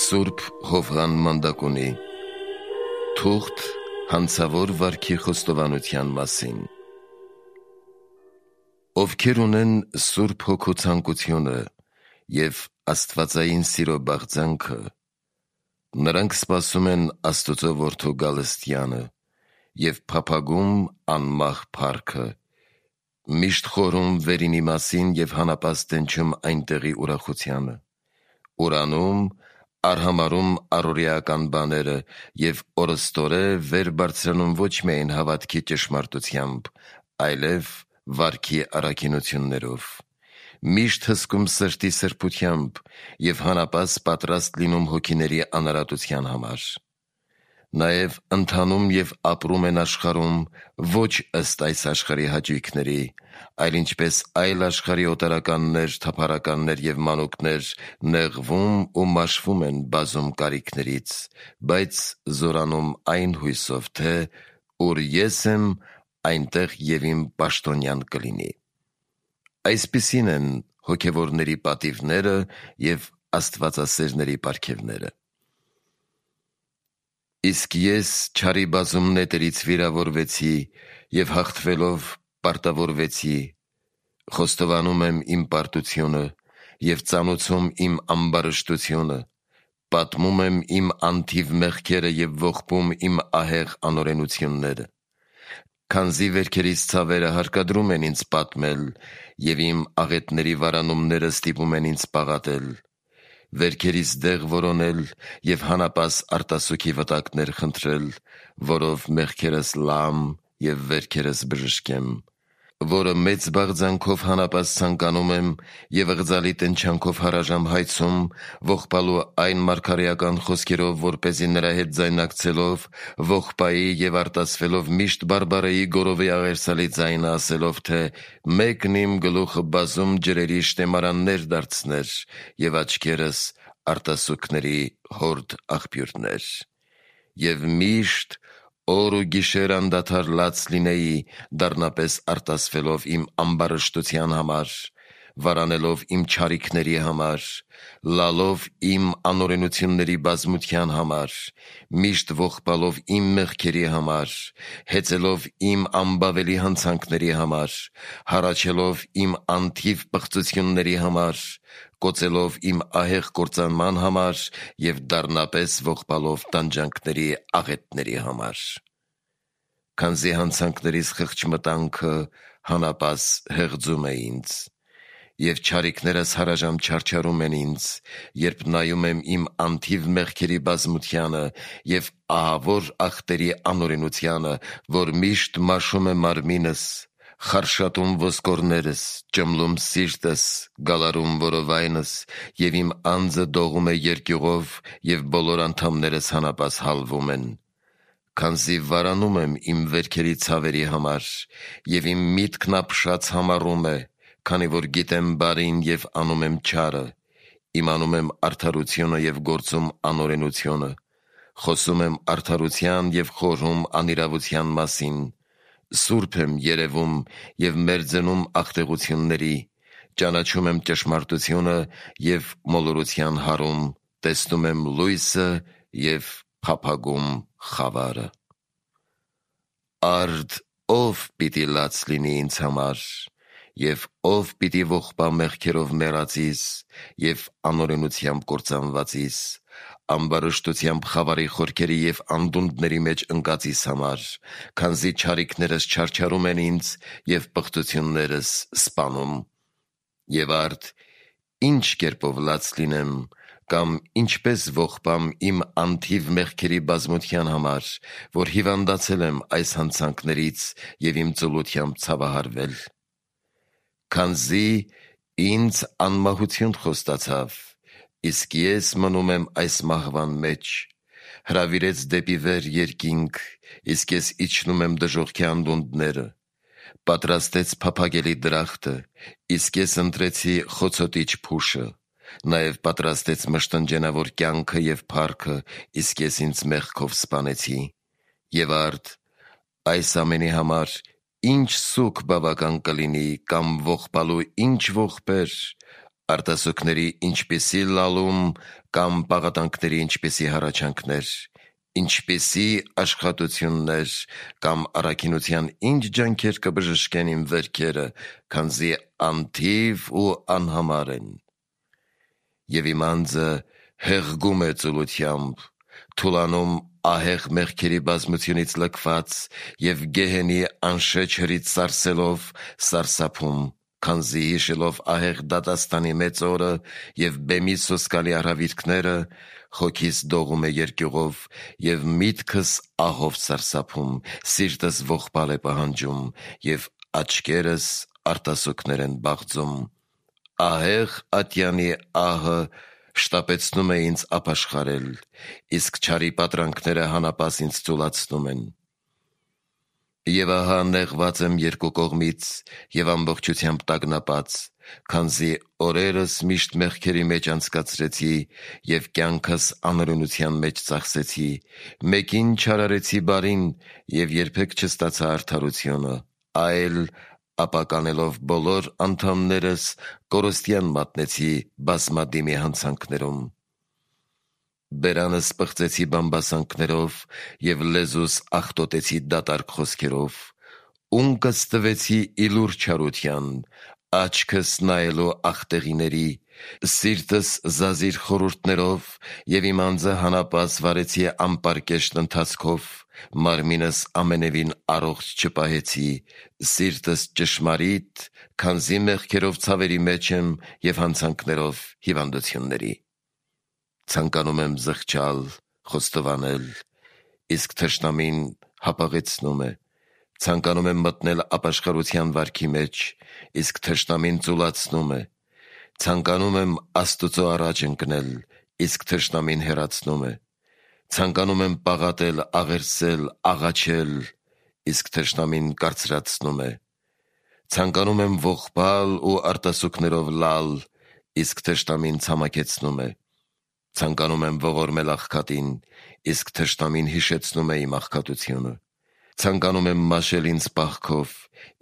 Սուրբ Հովհան Մանդակունի Թուղթ հանցավոր վարքի խոստովանության մասին։ Ովքեր ունեն Սուրբ Հոգու ցանկությունը և աստվածային սիրո բաղձանքը, նրանք սպասում են Աստծո Որդու գալստյանը և փափագում անմահ փառքը, միշտ խորհում վերինի մասին և հանապաստ դենչում այնտեղի ուրախությանը, ուրանում, արհամարում առօրեական բաները և օրըստորե վեր բարձրանում ոչ միայն հավատքի ճշմարտությամբ, այլև վարքի առաքինություններով, միշտ հսկում սրտի սրբությամբ և հանապաստ պատրաստ լինում հոգիների անարատության համար, նաև ընթանում և ապրում են աշխարհում ոչ ըստ այս աշխարհի հաճույքների, այլ ինչպես այլ աշխարհի օտարականներ, թափառականներ և մանուկներ նեղվում ու մաշվում են բազում կարիքներից, բայց զորանում այն հույսով, թե ուր ես եմ, այնտեղ և իմ պաշտոնյան կլինի։ Այսպիսին են հոգևորների պատիվները և աստվածասերների պարգևները։ Իսկ ես չարի բազում նետերից վիրավորվեցի և հաղթվելով պարտավորվեցի, խոստովանում եմ իմ պարտությունը և ծանուցում իմ ամբարշտությունը, պատմում եմ իմ անթիվ մեղքերը և ողբում իմ ահեղ անօրենությունները, քանզի վերքերիս ցավերը հարկադրում են ինձ պատմել և իմ աղետների վարանումները ստիպում են ինձ պաղատել, վերքերիս դեղ որոնել և հանապաստ արտասուքի վտակներ խնդրել, որով մեղքերս լամ և վերքերս բժշկեմ, որը մեծ բաղձանքով հանապաստ ցանկանում եմ և ըղձալի տնչանքով հարաժամ հայցում, ողբալու այն մարգարեական խոսքերով, որպեսզի նրա հետ ձայնակցելով, ողբայի և արտասվելով միշտ բարբարեի գորովի աղերսալի ձայնը ասելով, թե մեկն իմ գլուխը բազում ջրերի շտեմարաններ դարձներ և աչքերս արտասուքների հորդ աղբյուրներ, և միշտ օր ու գիշեր անդադար լաց լինեի, դառնապես արտասվելով իմ ամբարշտության համար, վարանելով իմ չարիքների համար, լալով իմ անօրենությունների բազմության համար, միշտ ողբալով իմ մեղքերի համար, հեծելով իմ անբավելի հանցանքների համար, հառաչելով իմ անթիվ պղծությունների համար, կոծելով իմ ահեղ կործանման համար և դառնապես ողբալով տանջանքների աղետների համար, քանզի հանցանքներիս խղճմտանքը հանապաստ հեղձում է ինձ, և չարիքներս հարաժամ չարչարում են ինձ, երբ նայում եմ իմ անթիվ մեղքերի բազմությանը և ահավոր ախտերի անօրենությանը, որ միշտ մաշում է մարմինս, խարշատում ոսկորներս, ճմլում սիրտս, գալարում որովայնս, և իմ անձը դողում է երկյուղով և բոլոր անդամներս հանապաստ հալվում են, քանզի վարանում եմ իմ վերքերի ցավերի համար, և իմ միտքն ապշած համառում է, քանի որ գիտեմ բարին և անում եմ չարը, իմանում եմ արդարությունը և գործում անօրենությունը, խոսում եմ արդարության և խորհում անիրավության մասին, սուրբ եմ երևում և մերձենում աղտեղությունների, ճանաչում եմ ճշմարտությունը և մոլորության հարում, տեսնում եմ լույսը և փափագում խավարը։ Արդ ով պիտի լաց լինի ինձ համար, և ով պիտի ողբա մեղքերով մեռածիս և անօրենությամբ կործանվածիս, ամբարշտությամբ խավարի խորքերի և անդունդների մեջ ընկածիս համար, քանզի չարիքներս չարչարում են ինձ և պղծություններս սպանում, և արդ ինչ կերպով լաց լինեմ, կամ ինչպես ողբամ իմ անթիվ մեղքերի բազմության համար, որ հիվանդացել եմ այս հանցանքներից և իմ ծուլությամբ ցավահարվել, քանզի ինձ անմահություն խոստացավ, իսկ ես մնում եմ այս մահվան մեջ, հրավիրեց դեպի վեր երկինք, իսկ ես իջնում եմ դժոխքի անդունդները, պատրաստեց փափագելի դրախտը, իսկ ես ընտրեցի խոցոտիչ փուշը, նաև պատրաստեց մշտնջենավոր կյանքը և փառքը, իսկ ես ինձ մեղքով սպանեցի, և արդ այս ամենի համար ինչ սուգ բավական կլինի, կամ ողբալու ինչ ողբեր, արտասուքների ինչպիսի լալում կամ պաղատանքների ինչպիսի հառաչանքներ, ինչպիսի աշխատություններ կամ առաքինության ինչ ջանքեր կբժշկեն իմ վերքերը, քանզի անթիվ ու անհամար են։ Եվ իմ անձը հեղգում է ծուլությամբ, թուլանում ահեղ մեղքերի բազմությունից լքված և գեհենի անշեջ հրից սարսելով սարսափում, քանզի հիշելով ահեղ դատաստանի մեծ օրը և բեմի սոսկալի արհավիրքները, հոգիս դողում է երկյուղով և միտքս ահով սարսափում, սիրտս ողբալ է պահանջում և աչքերս արտասուքներ են բաղձում։ Ահեղ ատյանի ահը շտապեցնում է ինձ ապաշխարել, իսկ չարի պատրանքները հանապաս ինձ ծուլացնում են։ Եվ ահա նեղված եմ երկու կողմից և ամբողջությամբ տագնապած, քանզի օրերս միշտ մեղքերի մեջ անցկացրեցի և կյանքս անօրենության մեջ ծախսեցի, մեկին չարարեցի բարին և երբեք չստացա արդարությունը, այլ ապականելով բոլոր անդամներս կորստյան մատնեցի բազմադիմի հանցանքներում։ Բերանս պղծեցի բամբասանքներով և լեզուս աղտոտեցի դատարկ խոսքերով, ունկս տվեցի իլուր չարության, աչքս նայելու աղտեղիների, սիրտս զազիր խորհուրդներով և իմ անձը հանապաս վարեցի ամպարկեշտ ընթացքով, մարմինս ամենևին առողջ չպահեցի, սիրտս ճշմարիտ, քանզի մեղքերով ցավերի մեջ եմ և հանցանքներով հիվանդությունների։ Ցանկանում եմ զղջալ, խոստովանել, իսկ թշնամին հապաղեցնում է, ցանկանում եմ մտնել ապաշխարության վարքի մեջ, իսկ թշնամին ծուլացնում է, ցանկանում եմ Աստուծո առաջ ընկնել, իսկ թշնամին հեռացնում է, ցանկանում եմ պաղատել, աղերսել, աղաչել, իսկ թշնամին կարծրացնում է, ցանկանում եմ ողբալ ու արտասուքներով լալ, իսկ թշնամին ցամաքեցնում է, ցանկանում եմ ողորմել աղքատին, իսկ թշնամին հիշեցնում է իմ աղքատությունը, ցանկանում եմ մաշել ինձ պահքով,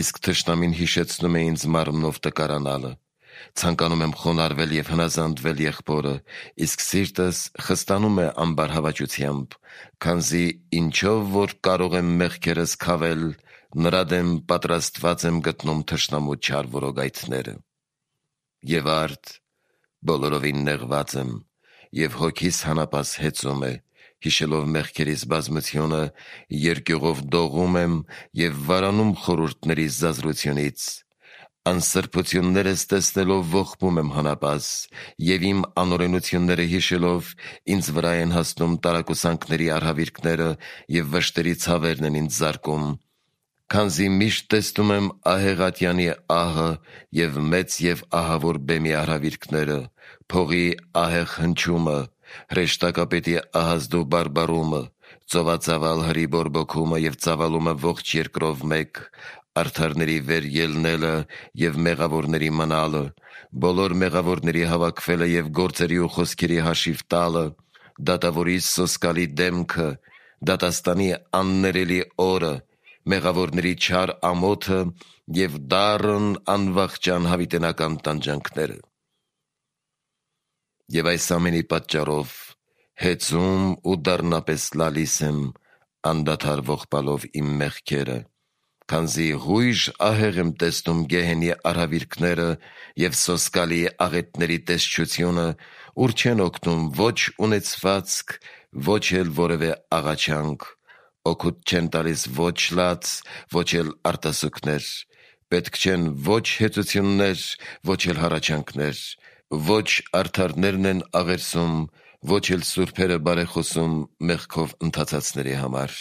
իսկ թշնամին հիշեցնում է ինձ մարմնով տկարանալը, ցանկանում եմ խոնարհվել և հնազանդվել եղբորը, իսկ սիրտս խստանում է ամբարհավաճությամբ, քանզի ինչով որ կարող եմ մեղքերս քավել, նրա դեմ պատրաստված եմ գտնում թշնամու չար որոգայթները։ Եվ արդ բոլորովին նեղված եմ, և հոգիս հանապաս հեծում է, հիշելով մեղքերիս բազմությունը, երկյուղով դողում եմ և վարանում խորհուրդներիս զազրությունից, անսրբություններս տեսնելով ողբում եմ հանապաս և իմ անօրենությունները հիշելով ինձ վրա են հասնում տարակուսանքների արհավիրքները և վշտերի ցավերն են ինձ զարկում, քանզի միշտ տեսնում եմ ահեղ ատյանի ահը և մեծ և ահավոր բեմի արհավիրքները, փողի ահեղ հնչումը, հրեշտակապետի ահազդու բարբառումը, ծովածավալ հրի բորբոքումը և ծավալումը ողջ երկրով մեկ, արդարների վեր ելնելը և մեղավորների մնալը, բոլոր մեղավորների հավաքվելը և գործերի ու խոսքերի հաշիվ տալը, դատավորի սոսկալի դեմքը, դատաստանի աններելի օրը, մեղավորների չար ամոթը և դառն անվախճան հավիտենական տանջանքները։ Եվ այս ամենի պատճառով հեծում ու դառնապես լալիս եմ, անդադար ողբալով իմ մեղքերը, քանզի հույժ ահեղ եմ տեսնում գեհենի արհավիրքները և սոսկալի աղետների տեսչությունը, ուր չեն օգնում ոչ ունեցվածք, ոչ էլ որևէ աղաչանք, օգուտ չեն տալիս ոչ լաց, ոչ էլ արտասուքներ, պետք չեն ոչ հեծություններ, ոչ էլ հառաչանքներ, ոչ արդարներն են աղերսում, ոչ էլ սուրբերը բարեխոսում մեղքով ընթացածների համար։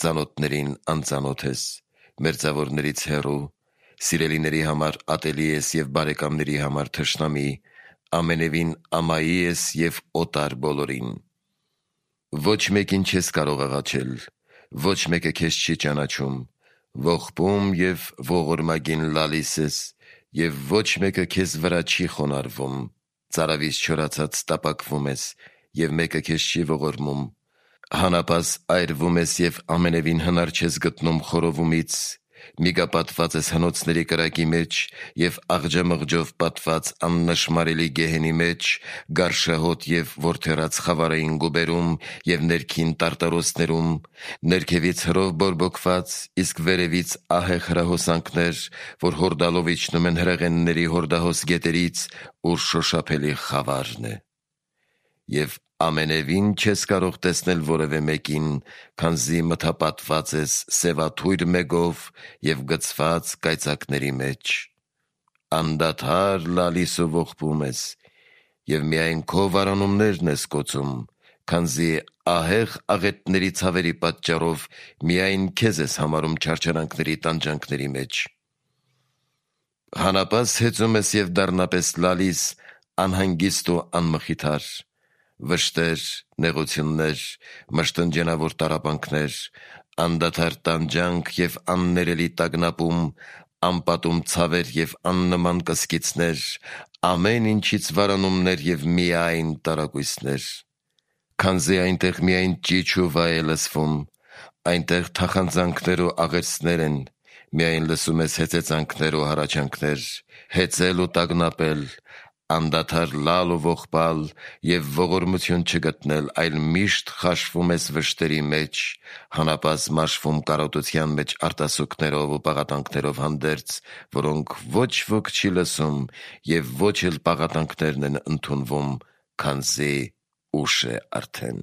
Ծանոթներին անծանոթ ես, մերձավորներից հեռու, սիրելիների համար ատելի ես և բարեկամների համար թշնամի, ամենևին ամայի ես և օտար բոլորին։ Ոչ մեկին չես կարող աղաչել, ոչ մեկը քեզ չի ճանաչում, ողբում և ողորմագին լալիս ես, և ոչ մեկը քեզ վրա չի խոնարհվում, ծարավից չորացած տապակվում ես, և մեկը քեզ չի ողորմում, հանապաս այրվում ես և ամենևին հնար չես գտնում խորովումից, միգա պատված ես հնոցների կրակի մեջ և աղջամղջով պատված աննշմարելի գեհենի մեջ, գարշահոտ և որդերած խավարային գուբերում և ներքին տարտարոսներում, ներքևից հրով բորբոքված, իսկ վերևից ահեղ հրահոսանքներ, որ հորդալով իջնում են հրեղենների հորդահոս գետերից, ուր շոշափելի խավարն է։ Եվ ամենևին չես կարող տեսնել որևէ մեկին, քանզի մթապատված ես սևաթույր մեգով և գցված կայծակների մեջ։ Անդադար լալիս ու ողբում ես, և միայն քո վարանումներն ես կոծում, քանզի ահեղ աղետների ցավերի պատճառով միայն քեզ ես համարում չարչարանքների տանջանքների մեջ։ Հանապաս հեծում ես և դառնապես լալիս, անհանգիստ ու անմխիթար, վշտեր, նեղություններ, մշտնջենավոր տառապանքներ, անդադար տանջանք և աններելի տագնապում, անպատում ցավեր և աննման կսկիցներ, ամեն ինչից վարանումներ և միայն տարակույսներ։ Քանզի այնտեղ միայն ճիչ ու վայ է լսվում, այնտեղ թախանձանքներ ու աղերսներ են, միայն լսում ես հեծեծանքներ ու հառաչանքներ, հեծել ու տագնապել, անդադար լալ ու ողբալ և ողորմություն չգտնել, այլ միշտ խաշվում ես վշտերի մեջ, հանապաս մաշվում կարոտության մեջ արտասուքներով ու պաղատանքներով հանդերձ, որոնք ոչ ոք չի լսում և ոչ էլ պաղատանքներն են ընդունվում, քանզի ուշ է արդեն։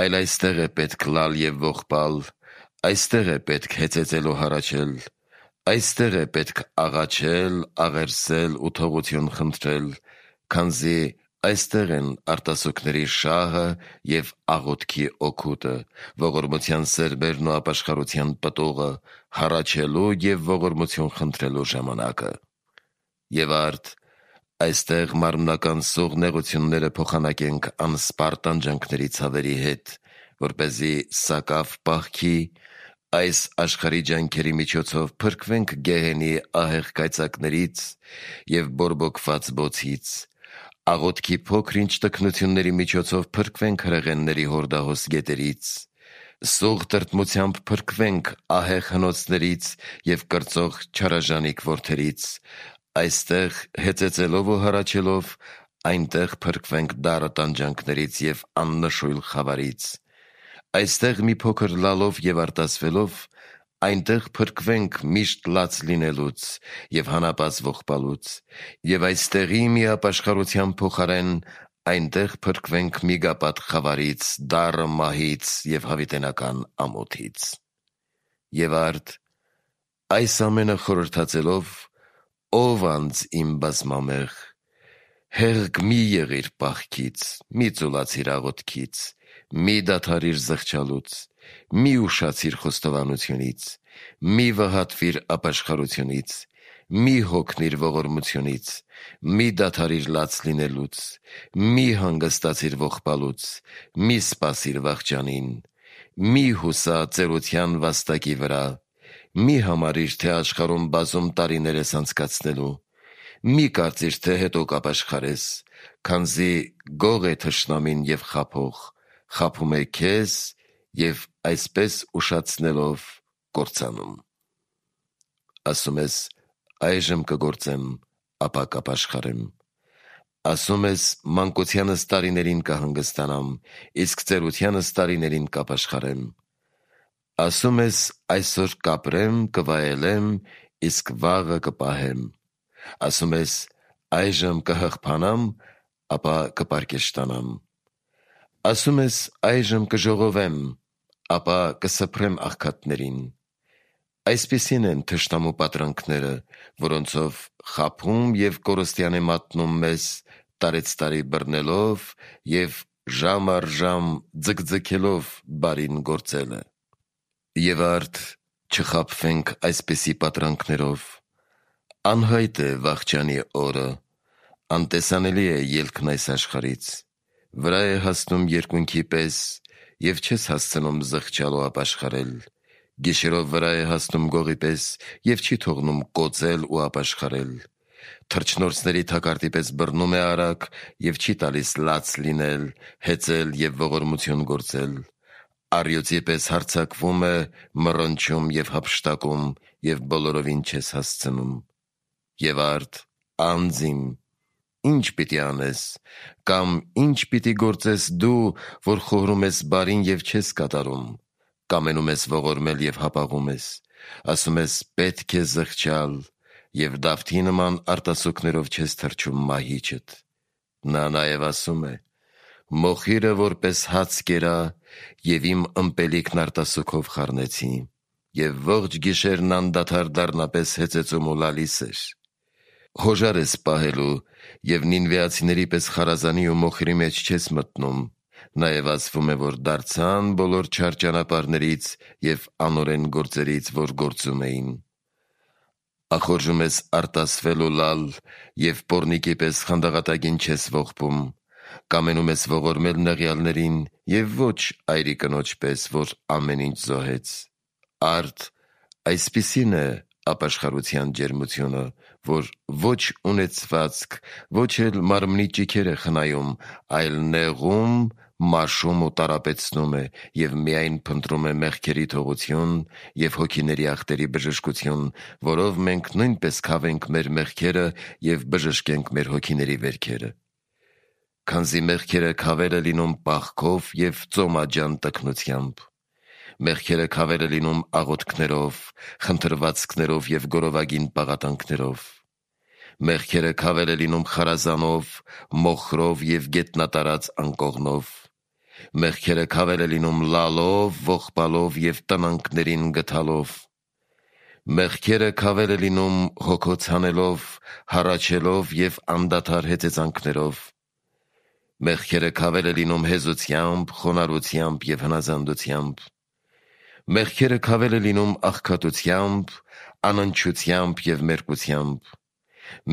Այլ այստեղ է պետք լալ և ողբալ, այստեղ է պետք հեծեծել ու հառաչել, այստեղ է պետք աղաչել, աղերսել ու թողություն խնդրել, քանզի այստեղ են արտասուքների շահը և աղոթքի օգուտը, ողորմության սերբերն ու ապաշխարության պտուղը, հառաչելու և ողորմություն խնդրելու ժամանակը։ Եվ արդ, այստեղ մարմնական սուղ նեղությունները փոխանակենք անսպառ տանջանքների ցավերի հետ, որպեսզի սակավ պահքի, այս աշխարհի ջանքերի միջոցով փրկվենք գեհենի ահեղ կայծակներից և բորբոքված բոցից, աղոթքի փոքր-ինչ տքնությունների միջոցով փրկվենք հրեղենների հորդահոս գետերից, սուղ տրտմությամբ փրկվենք ահեղ հնոցներից և կրծող չարաժանիկ որդերից, այստեղ հեծեծելով ու հառաչելով, այնտեղ փրկվենք դառը տանջանքներից և աննշույլ խավարից, այստեղ մի փոքր լալով և արտասվելով, այնտեղ փրկվենք միշտ լաց լինելուց և հանապաս ողբալուց, և այստեղի մի ապաշխարության փոխարեն այնտեղ փրկվենք միգապատ խավարից, դառը մահից և հավիտենական ամոթից։ Եվ արդ, այս ամենը խորհրդածելով, ով անձ իմ բազմամեղ, հեղք մի եղիր պահքից, մի ծուլացիր աղոթքից, մի դադարիր զղջալուց, մի ուշացիր խոստովանությունից, մի վհատվիր ապաշխարությունից, մի հոգնիր ողորմությունից, մի դադարիր լաց լինելուց, մի հանգստացիր ողբալուց, մի սպասիր վախճանին, մի հուսա ծերության վաստակի վրա, մի համարիր, թե աշխարհում բազում տարիներ ես անցկացնելու, մի կարծիր, թե հետո կապաշխարես, քանզի գող է թշնամին և խաբող, խաբում է քեզ և այսպես ուշացնելով կործանում։ Ասում ես, այժմ կգործեմ, ապա կապաշխարեմ, ասում ես, մանկությանս տարիներին կհանգստանամ, իսկ ծերությանս տարիներին կապաշխարեմ, ասում ես, այսօր կապրեմ, կվայելեմ, իսկ վաղը կպահեմ, ասում ես, այժմ կհղբանամ, ապա կպարկեշտանամ, ասում ես, այժմ կժողովեմ, ապա կսփրեմ աղքատներին։ Այսպիսին են թշնամու պատրանքները, որոնցով խաբում և կորստյան է մատնում մեզ, տարեցտարի բռնելով և ժամ առ ժամ ձգձգելով բարին գործելը։ Եվ արդ, չխաբվենք այսպիսի պատրանքներով։ Անհայտ է վախճանի օրը, անտեսանելի է ելքն այս աշխարհից, վրա է հասնում երկունքի պես և չես հասցնում զղջալ ու ապաշխարել, գիշերով վրա է հասնում գողի պես և չի թողնում կոծել ու ապաշխարել, թռչնորսների թակարդի պես բռնում է արագ և չի տալիս լաց լինել, հեծել և ողորմություն գործել, առյուծի պես հարձակվում է, մռնչում եւ հափշտակում եւ բոլորովին չես հասցնում։ Եվ արդ, անձիմ, ինչ պիտի անես, կամ ինչ պիտի գործես դու, որ խորհում ես բարին եւ չես կատարում, կամենում ես ողորմել եւ հապաղում ես, ասում ես պետք է զղջալ եւ Դավթի նման արտասուքներով չես թրջում մահիճդ։ Նա նաեւ ասում է. «Մոխիրը որպես հաց կերա եւ իմ ըմպելիքն արտասուքով խառնեցի, եւ ողջ գիշերն անդադար դառնապես հեծեծում ու լալիս էր»։ Հոժար ես պահելու եւ նինվեացիների պես խարազանի ու մոխիրի մեջ չես մտնում, նաեւ ասվում է, որ դարձան բոլոր չար ճանապարհներից եւ անօրեն գործերից, որ գործում էին։ Ախորժում ես արտասվել ու լալ եւ պոռնիկի պես խանդաղատագին չես ողբում, կամենում ես ողորմել նեղյալներին եւ ոչ այրի կնոջ պես, որ ամեն ինչ զոհեց։ Արդ, այսպիսին է ապաշխարության ջերմությունը, որ ոչ ունեցվածք, ոչ էլ մարմնի ճիքեր է խնայում, այլ նեղում, մաշում ու տարապեցնում է եւ միայն փնտրում է մեղքերի թողություն եւ հոգիների ախտերի բժշկություն, որով մենք նույնպես քավենք մեր մեղքերը եւ բժշկենք մեր հոգիների վերքերը։ Քանզի մեղքերը քավերը լինում պաղքով եւ ծոմաջան տքնությամբ, մեղքերը քավերը լինում աղոթքներով, խնդրվածքներով եւ գորովագին պաղատանքներով, մեղքերը քավերը լինում խարազանով, մոխրով եւ գետնատարած անկողնով, մեղքերը քավերը լինում լալով, ողբալով եւ տնանքներին գթալով, մեղքերը քավերը լինում հոգոց հանելով, հառաչելով եւ անդադար հեծեծանքներով, մեղքերը քավերը լինում հեզությամբ, խոնարհությամբ եւ հնազանդությամբ, մեղքերը քավերը լինում աղքատությամբ, անընչությամբ եւ մերկությամբ,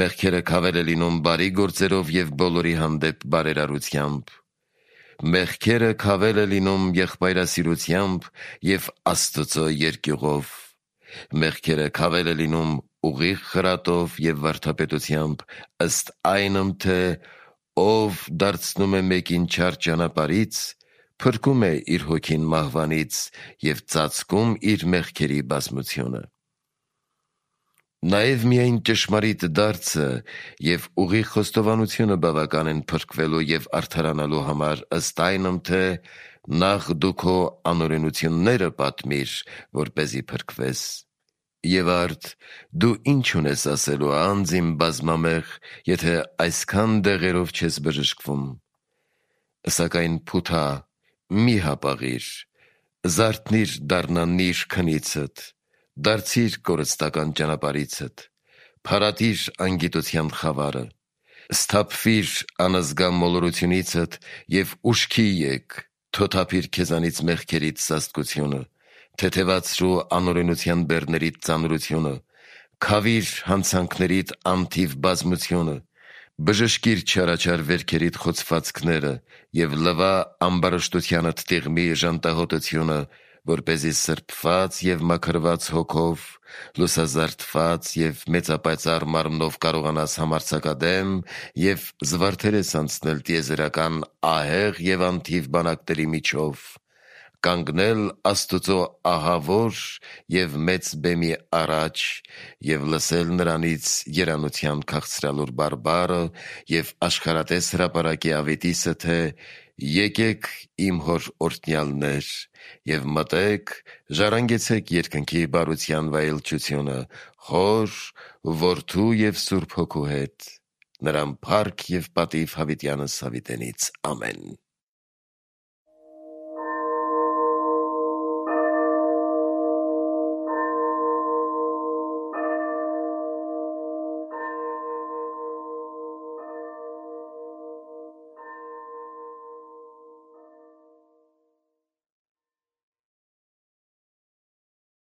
մեղքերը քավերը լինում բարի գործերով եւ բոլորի հանդեպ բարերարությամբ, մեղքերը քավերը լինում եղբայրասիրությամբ եւ Աստծո երկյուղով, մեղքերը քավերը լինում ուղիղ խրատով եւ վարդապետությամբ, ըստ այնմ թե ով դարձնում է մեկին չար ճանապարհից, փրկում է իր հոգին մահվանից եւ ծածկում իր մեղքերի բազմությունը։ Նաեւ միայն ճշմարիտ դարձը եւ ուղիղ խոստովանությունը բավական են փրկվելու եւ արդարանալու համար, ըստ այնմ թե նախ դու քո անօրենությունները պատմիր, որպեսզի փրկվես։ Եվ արդ, դու ինչ ունես ասելու անձիմ բազմամեղ, եթե այսքան դեղերով չես բժշկվում։ Սակայն փութա, մի հապաղիր, զարթնիր դառնանիր քնիցդ, դարձիր կորստական ճանապարհիցդ, փարատիր անգիտության խավարը, սթափվիր անզգա մոլորությունիցդ եւ ուշքի եկ, թոթափիր քեզանից մեղքերից սաստկությունը, թեթևացրու անօրենության բեռներիդ ծանրությունը, քավիր հանցանքներիդ անթիվ բազմությունը, բժշկիր չարաչար վերքերիդ խոցվածքները եւ լվա ամբարշտությանդ տիղմի ժանտահոտությունը, որպեսզի սրբված եւ մաքրված հոգով, լուսազարդված եւ մեծապայծառ մարմնով կարողանաս համարձակադեմ եւ զվարթերես անցնել տիեզերական ահեղ եւ անթիվ բանակների միջով, կանգնել Աստուծո ահավոր եւ մեծ բեմի առաջ եւ լսել նրանից երանության քաղցրալուր բարբառը եւ աշխարհատես հրապարակի ավետիսը, թե եկեք իմ հոր օրհնյալներ եւ մտեք, ժառանգեցեք երկնքի բարության վայելչությունը Հոր, Որդու եւ Սուրբ Հոգու հետ, նրան փառք եւ պատիվ հավիտյանս հավիտենից, ամեն։